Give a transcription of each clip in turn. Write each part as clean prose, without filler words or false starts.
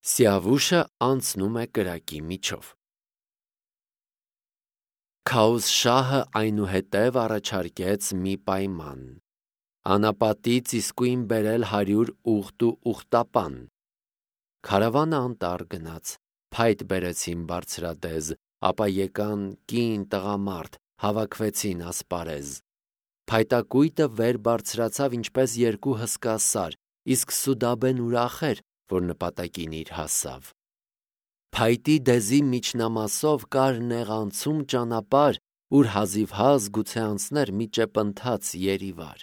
Սիավուշը անցնում է կրակի միջով։ Քաուզ շահը այնուհետև առաջարկեց մի պայման. անապատից իսկույն բերել 100 ուղտ ու ուղտապան։ Քարավանը անտառ գնաց, փայտ բերեցին բարձրադեզ, ապա եկան կին տղամարդ, հավաքվեցին ասպարեզ։ Փայտակույտը վեր բարձրացավ ինչպես երկու հսկա սար, իսկ Սուդաբեն ուրախ էր, որ նպատակին իր հասավ։ Փայտի դեզի միջնամասով կար նեղանցում ճանապարհ, ուր հազիվհազ գուցե անցներ մի ճեպընթաց երիվար։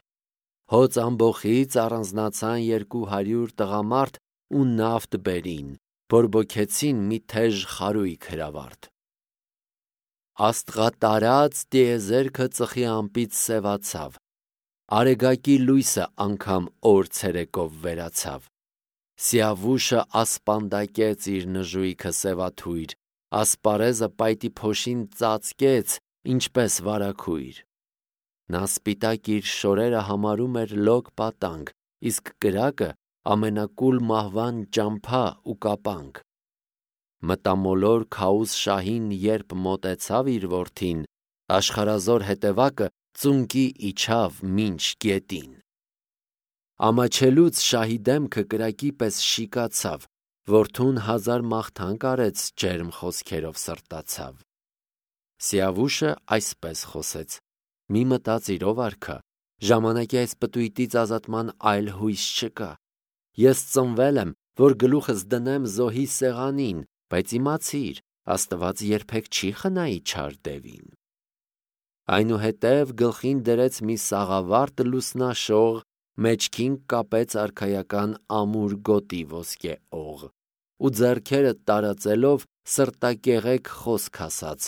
Հոծ ամբոխից առանձնացան 200 տղամարդ ու նավթ բերին, բորբոքեցին մի թեժ խարույկ հրավառդ։ Աստղատարած տիեզերքը ծխի ամպից սևացավ, արեգակի լույսը անգամ օր ցերեկով վերացավ։ Սիավուշը ասպանդակեց իր նժույգը սևաթույր, ասպարեզը պայտի փոշին ծածկեց, ինչպես վարագույր։ Նա սպիտակ իր շորերը համարում էր լոկ պատանք, իսկ կրակը ամենակուլ մահվան ճամփա ու կապանք։ Մտամոլոր Քաուզ շահին երբ մոտեցավ իր որդին, աշխարհազոր հետևակը ծունկի իջավ մինչ գետին։ Ամաչելուց շահի դեմքը կրակի պես շիկացավ, որդուն հազար մաղթանք արեց, ջերմ խոսքերով սրտացավ։ Սիավուշը այսպես խոսեց. մի մտածիր ով արքա, ժամանակի այս պտույտից ազատման այլ հույս չկա։ Ես ծնվել եմ, որ գլուխս դնեմ զոհի սեղանին, բայց իմացիր, Աստված երբեք չի խնայի չար դևին։ Այնուհետև գլխին դրեց մի սաղավարտ լուսնաշող, մեջքին կապեց արքայական ամուր գոտի ոսկե օղ ու ձեռքերը տարածելով սրտակեղեկ խոսք ասաց.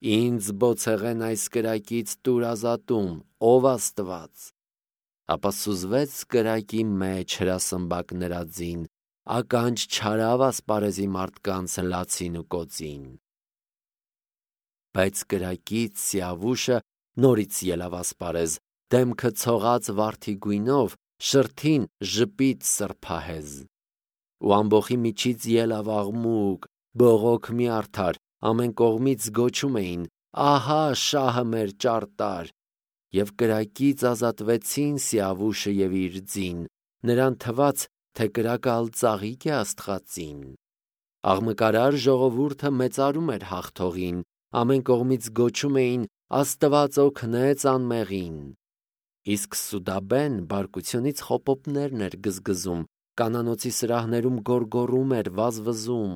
«Ինձ բոցեղեն այս կրակից տուր ազատում, ով Աստված»։ Ապա սուզվեց կրակի մեջ հրասմբակ նրա ձին, ականջ չարավ ասպարեզի մարդկանց լացին ու կոծին։ Բայց կրակից Սիավուշը նորից ելավ ասպարեզ, դեմքը ցողած վարդի գույնով, շրթին ժպիտ սրբահեզ։ Ու ամբոխի միջից ելավ աղմուկ, բողոք մի արդար, ամեն կողմից գոչում էին. «Ահա շահը մեր ճարտար»։ Եվ կրակից ազատվեցին Սիավուշը և իր ձին, նրան թվաց, թե կրակը ալ ծաղիկ է աստղածին։ Աղմկարար ժողովուրդը մեծարում էր հաղթողին, ամեն կողմից գոչում էին. «Աստված օգնեց անմեղին»։ Իսկ Սուդաբեն բարկությունից խոպոպներն էր գզգզում, կանանոցի սրահներում գոռգոռում էր, վազվզում։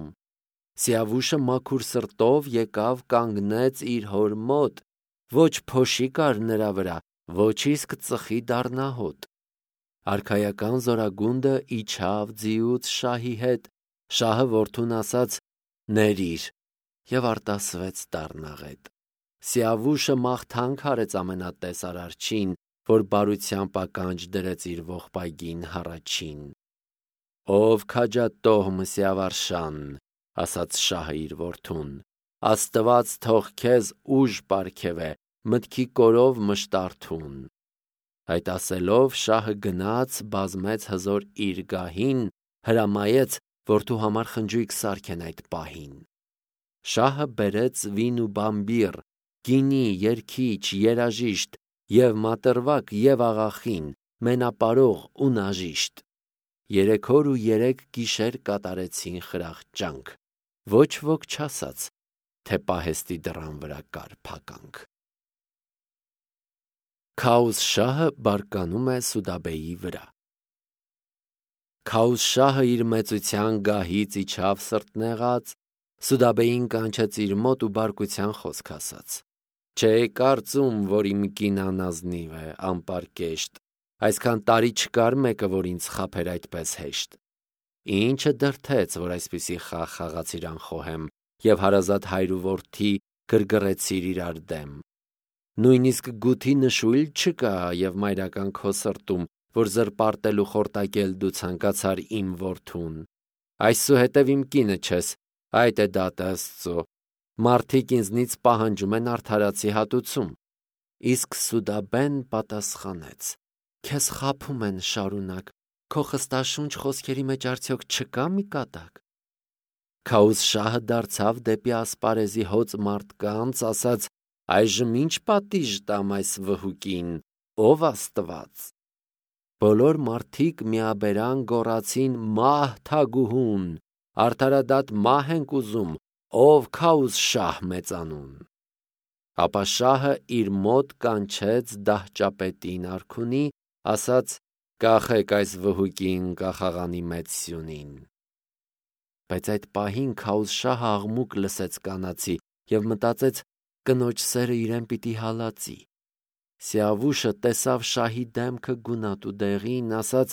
Սիավուշը մաքուր սրտով եկավ կանգնեց իր հոր մոտ, ոչ փոշի կար նրա վրա, ոչ իսկ ծխի դառնահոտ։ Արքայական զորագունդը իջավ ձիուց շահի հետ, շահը որդուն ասաց. «Ներիր» և արտասվեց դառնաղետ։ Սիավուշը մաղթանք արեց ամենատեսար Արջին, որ բարությամբ ականջ դրեց իր ողբայգին հառաչին։ «Ով քաջատոհ Սիավարշան», ասաց շահը իր որդուն, «Աստված թող քեզ ուժ պարգևե, մտքի կորով մշտարթուն»։ Այդ ասելով շահը գնաց, բազմեց հզոր իր գահին, հրամայեց որդու համար խնջույք սարքեն այդ պահին։ Շահը բերեց վին ու բամբիռ, գինի, երգիչ, երաժիշտ, և մատրվակ, և աղախին, մենապարող ու նաժիշտ։ 3 օր ու 3 գիշեր կատարեցին խրախճանք, ոչ ոք չասաց, թե պահեստի դռան վրա կար փականք։ Քաուզ շահը բարկանում է Սուդաբեի վրա։ Քաուզ շահը իր մեծության գահից իջավ սրտնեղած, Սուդաբեին կանչեց իր մոտ ու բարկության խոսք ասաց. «Չէի կարծում, որ իմ կինը անազնիվ է, անպարկեշտ, այսքան տարի չկար մեկը, որ ինձ խաբեր այդպես հեշտ։ Ինչը դրդեց, որ այսպիսի խաղ խաղացիր անխոհեմ և հարազատ հայր ու որդի գրգռեցիր իրար դեմ։ Նույնիսկ գութի նշույլ չկա և մայրական քո սրտում, որ զրպարտել ու խորտակել դու ցանկացար իմ որդուն։ Այսուհետև իմ կինը չես, այդ է դատը Աստծո։ Մարդիկ ինձնից պահանջում են արդարացի հատուցում»։ Իսկ Սուդաբեն պատասխանեց. «Քեզ խաբում են շարունակ, քո խստաշունչ խոսքերի մեջ արդյոք չկա մի կատակ։ Քաուզ շահը դարձավ դեպի ասպարեզի հոծ մարդկանց, ասաց. «Այժմ ինչ պատիժ տամ այս վհուկին, ով Աստված»։ Բոլոր մարդիկ միաբերան գոռացին. «Մահ թագուհուն, արդարադատ մահ ենք ուզում, ով Քաուզ շահ մեծանուն»։ Ապա շահը իր մոտ կանչեց դահճապետին արքունի, ասաց. «Կախեք այս վհուկին կախաղանի մեծ սյունին»։ Բայց այդ պահին Քաուզ շահը աղմուկ լսեց կանացի և մտածեց. կնոջ սերը իրեն պիտի հալածի։ Սիավուշը տեսավ շահի դեմքը գունատ ու դեղին, ասաց.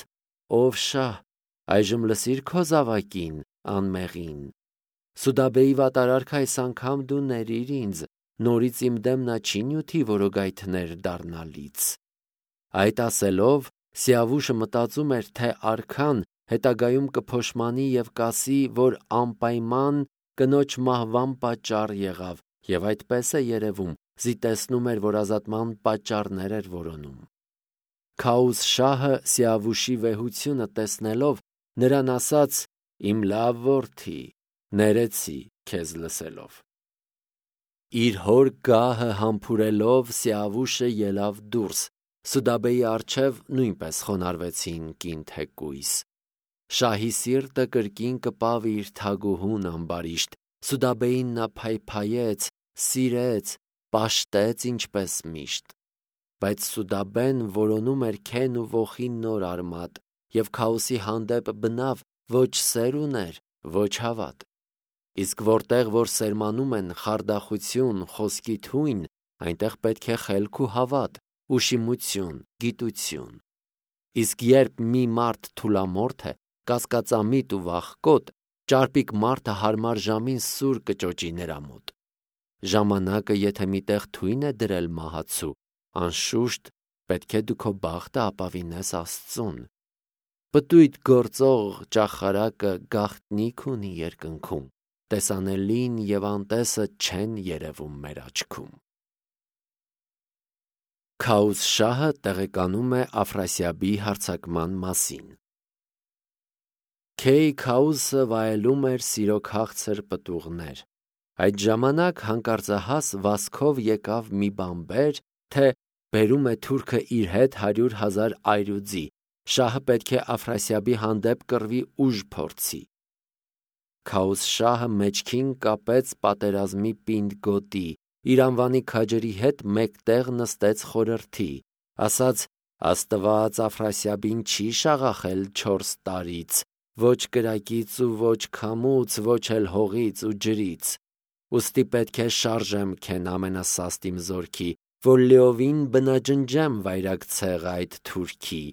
«Ով շահ, այժմ լսիր քո զավակին, անմեղին։ Սուդաբեի վատարարք այս անգամ դու ներիր ինձ, նորից իմ դեմ նա չի նյութի որոգայթներ դառնալից»։ Այդ ասելով Սիավուշը մտածում էր, թե արքան հետագայում կփոշմանի և կասի, որ անպայման կնոջ մահվան պատճառ եղավ, և այդպես է երևում, զիտեցնում էր, որ ազատման պատճառներ էր որոնում։ Քաուզ շահը Սիավուշի վեհությունը տեսնելով նրան ասաց. «Իմ լավ որդի, ներեցի քեզ լսելով»։ Իր հոր գահը համբուրելով Սիավուշը ելավ դուրս, Սուդաբեի առջև նույնպես խոնարհվեցին կին թեկույս։ Շահի սիրտը կրկին կպավ իր թագուհուն ամբարիշտ, Սուդաբեին նա փայփայեց, սիրեց, պաշտեց ինչպես միշտ։ Բայց Սուդաբեն որոնում էր քեն ու ոխի նոր արմատ, և Քաուսի հանդեպ բնավ ոչ սեր ուներ, ոչ հավատ։ Իսկ որտեղ որ սերմանում են խարդախություն, խոսքի թույն, այնտեղ պետք է խելք ու հավատ, ուշիմություն, գիտություն։ Իսկ երբ մի մարդ թուլամորթ է, կասկածամիտ ու վախկոտ, ճարպիկ մարդը հարմար ժամին սուր կճոճի նրա մոտ։ Ժամանակը եթե միտեղ թույն է դրել մահացու, անշուշտ պետք է դու քո բախտը ապավինես Աստծուն։ Պտույտ գործող ճախարակը գաղտնիք ունի երկնքում, տեսանելին և անտեսը չեն երևում մեր աչքում։ Քաուզ շահը տեղեկանում է Աֆրասիաբի հարձակման մասին։ Քեյ Քաուսը վայելում էր սիրո քաղցր պտուղներ։ Այդ ժամանակ հանկարծահաս վազքով եկավ մի բանբեր, թե բերում է թուրքը իր հետ 100,000 այրուձի, շահը պետք է Աֆրասիաբի հանդեպ կռվի ուժ փորձի։ Քաուզ շահը մեջքին կապեց պատերազմի պինդ գոտի, իր անվանի քաջերի հետ մեկտեղ նստեց խորհրդի, ասաց. «Աստված Աֆրասիաբին չի շաղախել 4 տարից, ոչ կրակից ու ոչ քամուց, ոչ էլ հողից ու ջրից։ Ուստի պետք է շարժեմ քեն ամենասաստ իմ զորքի, որ լիովին բնաջնջեմ վայրագ ցեղը այդ թուրքի։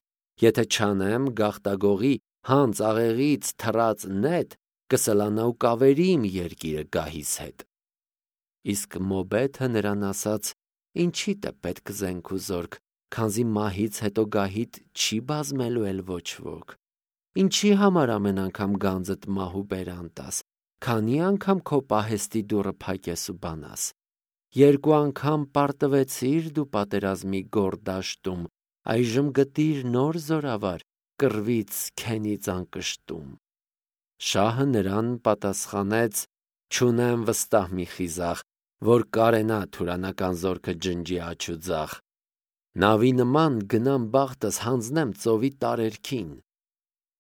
Եթե չանեմ, գաղտագողի հանց աղեղից թռած նետ կսլանա ու կավերի իմ երկիրը գահիս հետ»։ Իսկ Մոբեթը նրան ասաց. «Ինչիդ է պետք զենք ու զորք, քանզի մահից հետո գահիդ չի բազմելու էլ ոչ ոք։ Ինչի համար ամեն անգամ գանձդ մահու բերան տաս, քանի անգամ քո պահեստի դուռը փակես ու բանաս։ 2 անգամ պարտվեցիր դու պատերազմի գոր դաշտում, այժմ գտիր նոր զորավար, կռվից քենից անկշտում»։ Շահը նրան պատասխանեց. «Չունեմ վստահ մի խիզախ, որ կարենա թուրանական զորքը ջնջի աջ ու ձախ։ Նավի նման գնամ բախտս հանձնեմ ծովի տարերքին։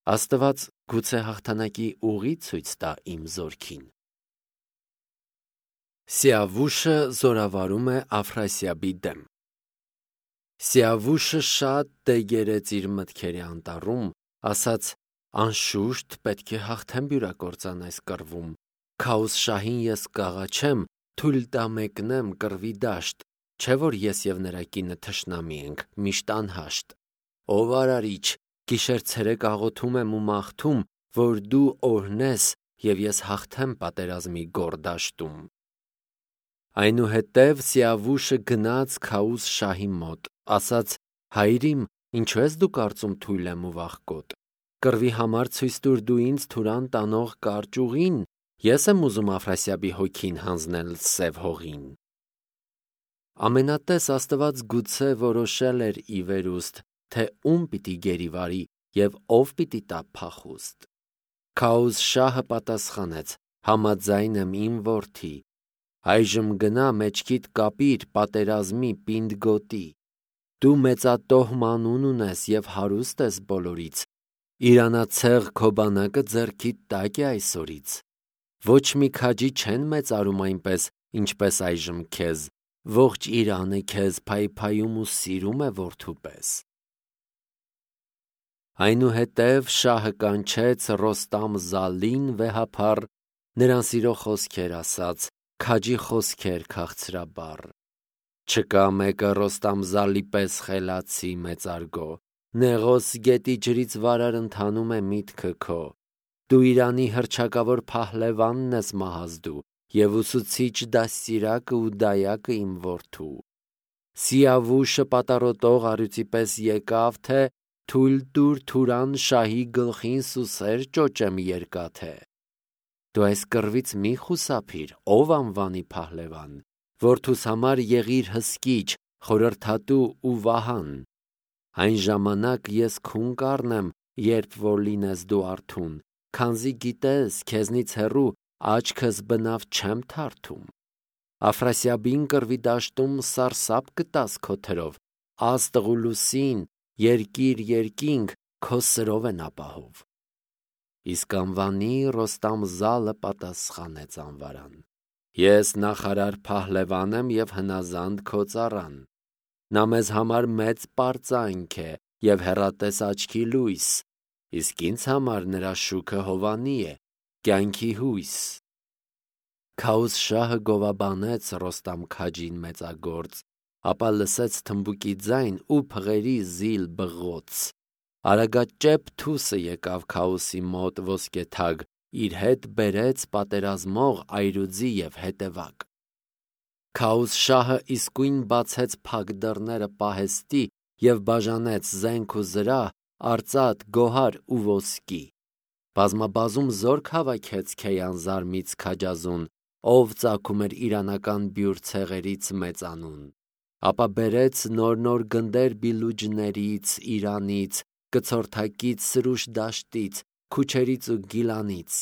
Աստված գուցե հաղթանակի ուղի ցույց տա իմ զորքին»։ Սիավուշը զորավարում է Աֆրասիաբի դեմ։ Սիավուշը շատ տեգերեց իր մտքերի անտառում, ասաց. «Անշուշտ պետք է հաղթեմ բյուրակործան այս կռվում։ Քաուզ շահին ես կաղաչեմ, թույլ տա մեկնեմ կռվի դաշտ, չէ որ ես և նրա կինը թշնամի ենք, միշտ անհաշտ։ Ով արարիչ, գիշեր-ցերեկ աղոթում եմ ու մաղթում, որ դու օրհնես, և ես հաղթեմ պատերազմի գոր դաշտում»։ Այնուհետև Սիավուշը գնաց Քաուզ շահի մոտ, ասաց. «Հայրիմ, ինչու ես դու կարծում թույլ եմ ու վախկոտ։ Կռվի համար ցույց տուր դու ինձ Թուրան տանող կարճ ուղին, ես եմ ուզում Աֆրասիաբի հոգին հանձնել սև հողին»։ Ամենատես Աստված գուցե որոշել էր ի վերուստ, թե ում պիտի գերիվարի և ով պիտի տա փախուստ։ Քաուզ շահը պատասխանեց. Համաձայն եմ իմ որդի, այժմ գնա մեջքիդ կապիր պատերազմի պինդ գոտի, դու մեծատոհմ անուն ունես և հարուստ ես բոլորից, իրանացեղ քո բանակը ձեռքիդ տակ է այսօրից, ոչ մի քաջի չեն մեծարում այնպես, ինչպես այժմ քեզ, ողջ Իրանը քեզ փայփայում ու սիրում է որդու պես։ Այնուհետև շահը կանչեց Ռոստամ-Զալին վեհափառ, նրան սիրո խոսքեր ասաց, քաջի խոսքեր քաղցրաբար։ Չկա մեկը Ռոստամ-Զալի պես խելացի մեծարգո, Նեղոս գետի ջրից վարար ընթանում է միտքը քո, դու Իրանի հռչակավոր փահլևանն ես մահազ դու, և ուսուցիչ դաստիարակը ու դայակը իմ որդու։ Սիավուշը պատառոտող առյուծի պես եկավ, թե թույլ տուր Թուրան շահի գլխին սուսեր ճոճեմ երկաթե։ Դու այս կռվից մի խուսափիր, ով անվանի փահլևան, որդուս համար եղիր հսկիչ, խորհրդատու ու վահան։ Այն ժամանակ ես քուն կառնեմ, երբ որ լինես դու արթուն, քանզի գիտես, քեզնից հեռու աչքս բնավ չեմ թարթում։ Աֆրասիաբին կռվի դաշտում սարսափ կտաս քո թրով, աստղ ու լուսին, երկիր, քո սրով են ապահով։ Իսկ անվանի Ռոստամ-Զալը պատասխանեց անվարան. Ես նախարար փահլևան եմ և հնազանդ քո ծառան։ Նա մեզ համար մեծ պարծանք է և հեռատես աչքի լույս, իսկ ինձ համար նրա շուքը հովանի է, կյանքի հույս։ Քաուսշահը գովաբանեց Ռոստամ քաջին մեծագործ, ապա լսեց թմբուկի ձայն ու փղերի զիլ բղոց։ Արագաճեպ թուսը եկավ Քաուսի մոտ ոսկեթագ, իր հետ բերեց պատերազմող այրուձի և հետևակ։ Քաուսշահը իսկույն բացեց փակ դռները պահեստի և բաժանեց զենք ու զրահ, արծաթ, գոհար ու ոսկի։ Բազմաբազում զորք հավաքեց Քեյանզարմից քաջազուն, ով ծագում էր իրանական բյուր ցեղերից մեծանուն։ Ապա բերեց նոր գնդեր Բիլուջներից, Իրանից, կցորդակից Սրուշ դաշտից, Քուչերից ու Գիլանից։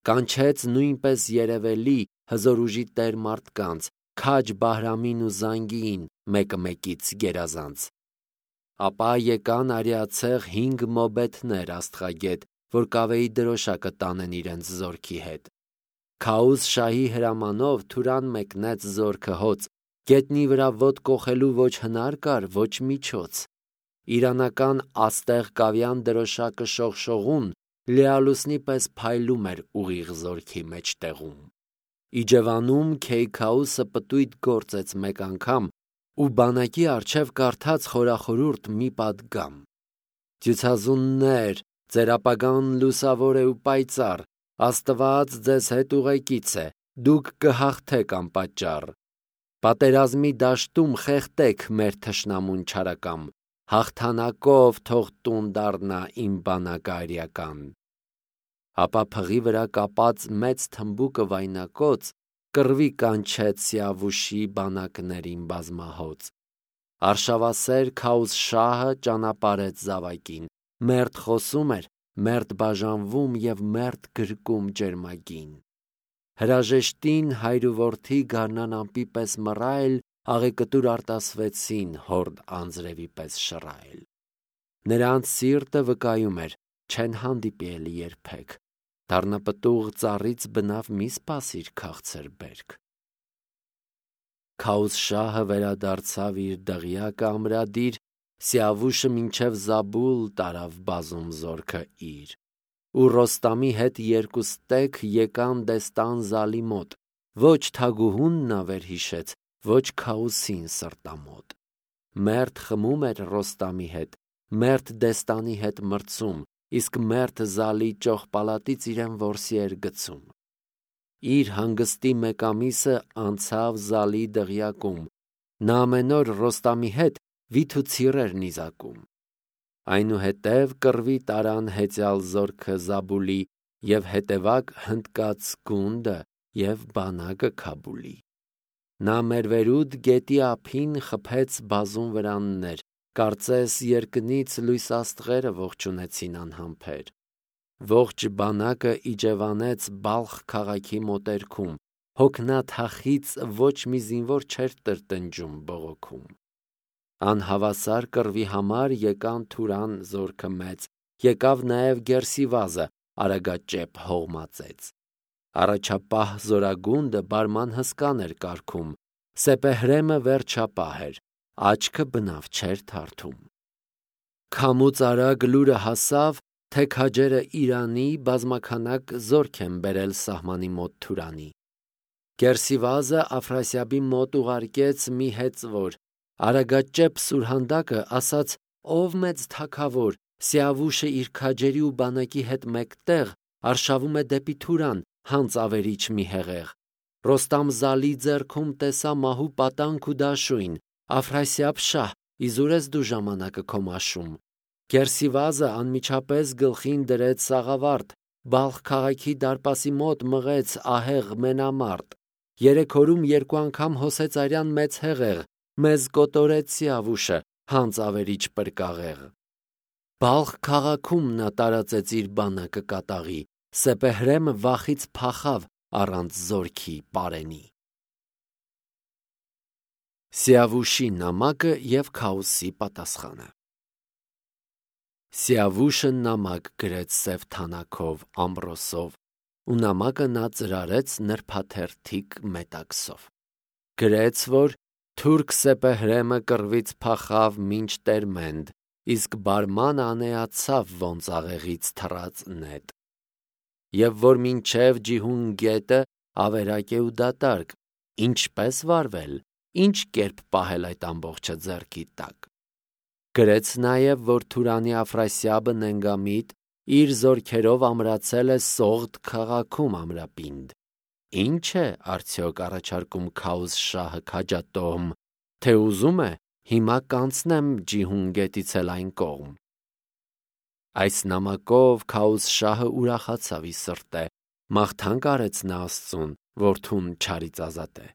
Կանչեց նույնպես երևելի հզոր ուժի տեր մարդկանց, քաջ Բահրամին ու Զանգիին, մեկը մեկից գերազանց։ Ապա եկան արիացեղ 5 մոբեթներ աստղագետ, որ կավեի դրոշակը տանեն իրենց զորքի հետ։ Քաուսշահի հրամանով Թուրան մեկնեց զորքը հոծ, գետնի վրա ոտք կոխելու ոչ հնար կար, ոչ միջոց։ Իրանական աստեղ կավյան դրոշակը շողշողուն, լիալուսնի պես փայլում էր ուղիղ զորքի մեջտեղում։ Իջևանում Քեյքաուսը պտույտ գործեց մեկ անգամ ու բանակի առջև կարդաց խորախորուրդ մի պատգամ. Դյուցազուններ, ձեր ապագան լուսավոր է ու պայծառ, Աստված ձեզ հետ ուղեկից է, դուք կհաղթեք անպատճառ։ Պատերազմի դաշտում խեղդեք մեր թշնամուն չարակամ, հաղթանակով թող տուն դառնա իմ բանակը արյական։ Ապա փղի վրա կապած մեծ թմբուկը վայնակոծ, կռվի կանչեց Սիավուշի բանակներին բազմահոծ։ Արշավասեր Քաուսշահը ճանապարհեց զավակին, մերթ խոսում էր, մերթ բաժանվում և մերթ գրկում ջերմագին։ Հրաժեշտին հայր ու որդի գարնան ամպի պես մռայլ, աղեկտուր արտասվեցին հորդ անձրևի պես շռայլ։ Նրանց սիրտը վկայում էր, չեն հանդիպի էլի երբեք, դառնապտուղ ծառից բնավ մի սպասիր քաղցր բերք։ Քաուսշահը վերադարձավ իր դղյակը ամրադիր, Սիավուշը մինչև Զաբուլ տարավ բազում զորքը իր։ Ու Ռոստամի հետ երկու ստեկ եկան Դեստան-Զալի մոտ, ոչ թագուհուն նա վերհիշեց, ոչ Քաուսին սրտամոտ։ Մերթ խմում էր Ռոստամի հետ, մերթ Դեստանի հետ մրցում, իսկ մերթ Զալի ճոխպալատից իրեն որսի էր գցում։ Իր հանգստի մեկ ամիսը անցավ Զալի դղյակում, նա ամեն օր Ռոստամի հետ վիթ ու ցիր էր նիզակում։ Այնուհետև կռվի տարան հեծյալ զորքը Զաբուլի և հետևակ հնդկաց գունդը և բանակը Քաբուլի։ Նա Մերվերուդ գետի ափին խփեց բազում վրաններ, կարծես երկնից լույս աստղերը ողջունեցին անհամբեր։ ողջ բանակը իջևանեց Բալխ քաղաքի մոտերքում, հոգնաթախից ոչ մի զինվոր չէր տրտնջում բողոքում։ Անհավասար կռվի համար եկան Թուրան զորքը մեծ, եկավ նաև Գերսիվազը, արագաճեպ հողմածեց։ Առաջապահ զորագունդը բարման հսկան էր կարգում, Սեպեհրեմը վերջապահ էր, աչքը բնավ չէր թարթում։ Քամուց արագ լուրը հասավ, թե քաջերը Իրանի բազմաքանակ զորք են բերել սահմանի մոտ Թուրանի։ Գերսիվազը Աֆրասիաբի մոտ ուղարկեց մի հեծվոր, արագաճեպ Սուրհանդակը ասաց. «Ով մեծ թագավոր, Սիավուշը իր քաջերի ու բանակի հետ մեկտեղ արշավում է դեպի Թուրան, հանց ավերիչ մի հեղեղ։ Ռոստամ Զալի ձեռքում տեսա մահու պատանք ու դաշույն, Աֆրասիաբ շահ, իզուր ես դու ժամանակը քո մաշում»։ Գերսիվազը անմիջապես գլխին դրեց սաղավարտ, Բալխ քաղաքի դարպասի մոտ մղեց ահեղ մենամարտ։ 3 օրում 2 անգամ հոսեց արյան մեծ հեղեղ, մեզ կոտորեց Սիավուշը, հանց ավերիչ պրկաղեղ։ Բալխ քաղաքում նա տարածեց իր բանակը կատաղի, Սեպեհրեմը վախից փախավ առանց զորքի պարենի։ Սիավուշի նամակը և Քաոսի պատասխանը։ Սիավուշը նամակ գրեց սև թանաքով, ամրոսով, ու նամակը նա ծրարեց նրբաթերթիկ մետաքսով։ Գրեց, որ թուրք Սեպեհրեմը կռվից փախավ մինչ Տերմենդ, իսկ բարմանը անեացավ ոնց աղեղից թռած նետ։ Եվ որ մինչև Ջիհուն գետը ավերակ է ու դատարկ, ինչպես վարվել, ինչ կերպ պահել այդ ամբողջը ձեռքի տակ։ Գրեց նաև, որ Թուրանի Աֆրասիաբը նենգամիտ իր զորքերով ամրացել է Սողդ քաղաքում ամրապինդ։ Ինչ է արդյոք առաջարկում Քաոս շահը քաջատոհմ, թե ուզում է հիմա կանցնեմ Ջիհուն գետից էլ այն կողմ։ Այս նամակով Քաոս շահը ուրախացավ ի սրտե, մաղթանք արեց նա Աստծուն, որդուն չարից ազատե։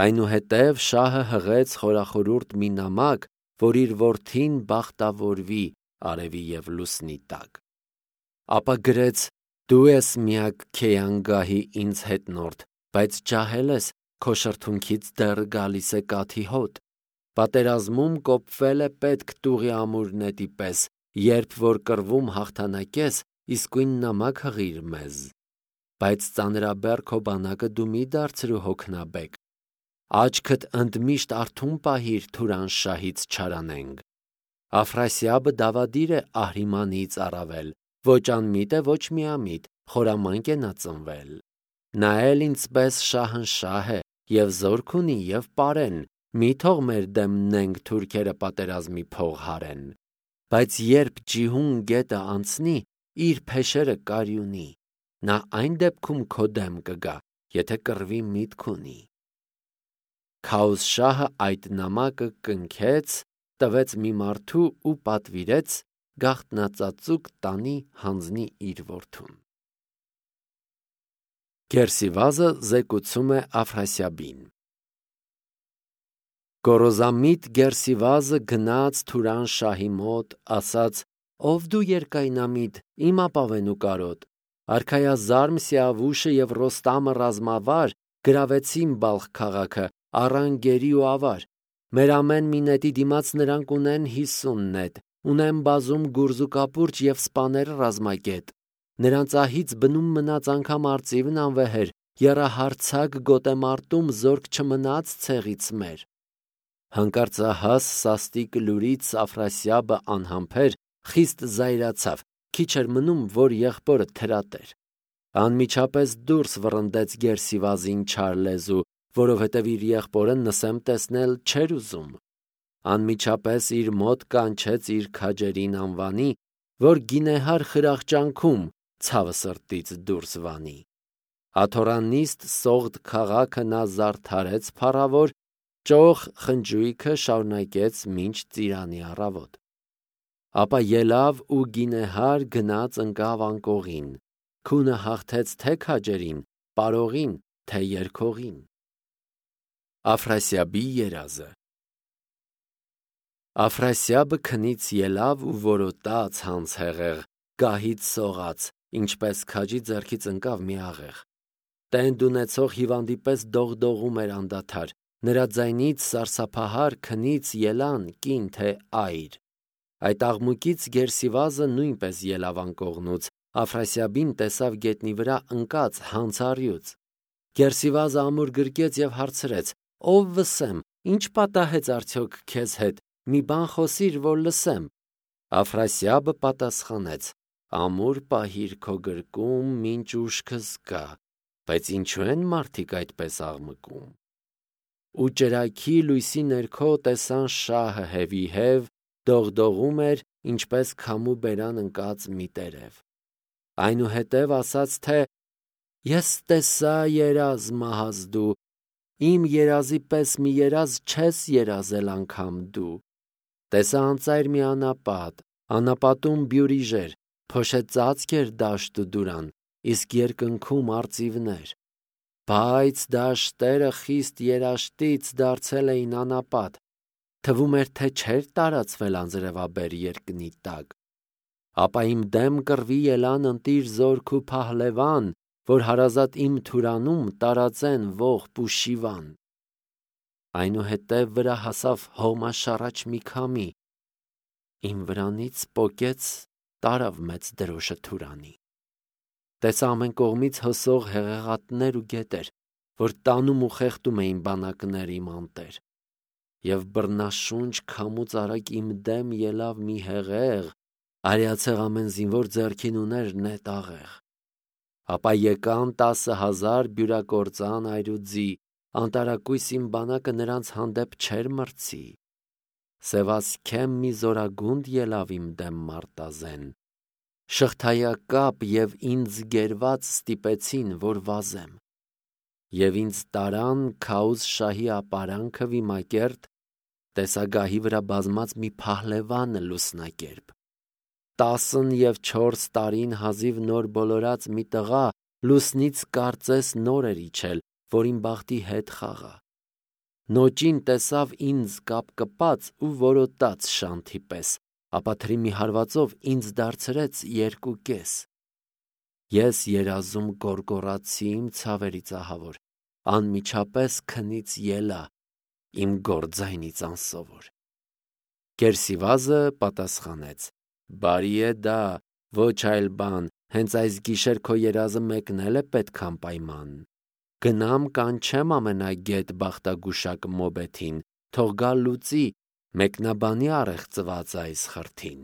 Այնուհետև շահը հղեց խորախորուրդ մի նամակ, որ իր որդին բախտավորվի արևի և լուսնի տակ։ Ապա գրեց. «Դու ես միակ Քեյանգահի ինձ հետնորդ, բայց ջահել ես, քո շրթունքից դեռ գալիս է կաթի հոտ։ Պատերազմում կոպվել է պետք տուղի ամուր նետի պես, երբ որ կռվում հաղթանակես, իսկույն նամակ հղիր մեզ։ Բայց ծանրաբեռ քո բանակը դու մի դարձրու հոգնաբեկ։ Աչքդ ընդմիշտ արթուն պահիր Թուրան շահից չարանենք։ Աֆրասիաբը դավադիր է Ահրիմանից առավել, ոչ անմիտ է, ոչ միամիտ, խորամանկ է նա ծնվել։ Նա էլ ինձպես շահնշահ է, և զորք ունի, և պարեն, մի թող մեր դեմ նենգ թուրքերը պատերազմի փող հարեն։ Բայց երբ Ջիհուն գետը անցնի, իր փեշերը կարյունի, նա այն դեպքում քո դեմ կգա, եթե կռվի միտք ունի։ Քաոս շահը այդ նամակը կնքեց, տվեց մի մարդու ու պատվիրեց գաղտնածածուկ տանի հանձնի իր որդուն։ Գերսիվազը զեկուցում է Աֆրասիաբին։ Գոռոզամիտ Գերսիվազը գնաց Թուրան շահի մոտ, ասաց. «Ով դու երկայնամիտ, իմ ապավենու կարոտ, արքայազարմ Սիավուշը և Ռոստամը ռազմավար գրավեցին Բալխ քաղաքը, առան գերի ու ավար։ Մեր ամեն մի նետի դիմաց նրանք ունեն 50 նետ, ունեն բազում գուրզ ու կապուրջ և սպաներ ռազմագետ։ Նրանց ահից բնում մնաց անգամ արծիվն անվեհեր, եռահարցակ գոտեմարտում զորք չմնաց ցեղից մեր»։ Հանկարծահաս սաստիկ լուրից Աֆրասիաբը անհամբեր խիստ զայրացավ, քիչ էր մնում, որ եղբորը թրատեր։ Անմիջապես դուրս վռնդեց Գերսիվազին չար լեզու, որովհետև իր եղբորը նսեմ տեսնել չէր ուզում։ Անմիջապես իր մոտ կանչեց իր քաջերին անվանի, որ գինեհար խրախճանքում ցավը սրտից դուրս վանի։ Աթորանիստ Սողդ քաղաքը նա զարդարեց փառավոր, ճոխ խնջույքը շարունակեց մինչ ծիրանի առավոտ։ Ապա ելավ ու գինեհար գնաց ընկավ անկողին, քունը հաղթեց թե քաջերին, պարողին, թե երգողին։ Աֆրասիաբի երազը։ Աֆրասիաբը քնից ելավ ու որոտաց հանց հեղեղ, գահից սողաց, ինչպես քաջի ձեռքից ընկավ մի աղեղ։ Տենդ ունեցող հիվանդի պես դողդողում էր անդադար, նրա ձայնից սարսափահար քնից ելան կին թե այր։ Այդ աղմուկից Գերսիվազը նույնպես ելավ անկողնուց, Աֆրասիաբին տեսավ գետնի վրա ընկած հանցառյուծ։ Գերսիվազը ամուր գրկեց և հարցրեց. «Ով վսեմ, ինչ պատահեց արդյոք քեզ հետ, մի բան խոսիր, որ լսեմ»։ Աֆրասիաբը պատասխանեց. «Ամուր պահիր քո գրկում, մինչ ուշքս գա, բայց ինչու են մարդիկ այդպես աղմկում»։ Ու ճրագի լույսի ներքո տեսան շահը հևիհև, դողդողում էր, ինչպես քամու բերան ընկած մի տերև։ Այնուհետև ասաց, թե «Ես տեսա երազ մահազ դու, իմ երազի պես մի երազ չես երազել անգամ դու։ Տեսա անծայր մի անապատ, անապատում բյուրիժեր, փոշե ծածկ էր դաշտ ու դուրան, իսկ երկնքում արծիվներ։ Բայց դաշտերը խիստ երաշտից դարձել էին անապատ, թվում էր, թե չէր տարածվել անձրևաբեր երկնի տակ։ Ապա իմ դեմ կռվի ելան ընտիր զորք ու փահլևան, որ հարազատ իմ թուրանում տարածեն ողբ ու շիվան։ Այնուհետև վրա հասավ հողմաշառաչ մի քամի, իմ վրանից պոկեց, տարավ մեծ դրոշը թուրանի։ Տեսա ամեն կողմից հոսող հեղեղատներ ու գետեր, որ տանում ու խեղդում էին բանակներ իմ անտեր։ Եվ բռնաշունչ քամուց արագ իմ դեմ ելավ մի հեղեղ, արիացեղ ամեն զինվոր ձեռքին ուներ նետ աղեղ։ Ապա եկան 10,000 բյուրակործան այրուձի, անտարակույս իմ բանակը նրանց հանդեպ չէր մրցի։ Սևասքեմ մի զորագունդ ելավ իմ դեմ մարտազեն, շղթայակապ և ինձ գերված ստիպեցին, որ վազեմ։ Եվ ինձ տարան Քաուզ շահի ապարանքը վիմակերտ, տեսագահի վրա բազմած մի փահլևան լուսնակերպ։ 14 տարին հազիվ նոր բոլորած մի տղա լուսնից կարծես նոր էր իջել, որ իմ բախտի հետ խաղա։ Նոճին տեսավ ինձ կապկպած ու որոտաց շանթի պես, ապա թրի մի հարվածով ինձ դարձրեց 2 կես։ Ես երազում գոռգոռացի իմ ցավերից ահավոր, անմիջապես քնից ելա, իմ գործայնից անսովոր։ Գերսիվազը պատասխանեց. «Բարի է դա, ոչ այլ բան, հենց այս գիշեր քո երազը մեկնել է պետք անպայման։ Գնամ կանչեմ ամենագետ բախտագուշակ Մոբեթին, թող գա լուծի, մեկնաբանի առեղծված այս խրթին»։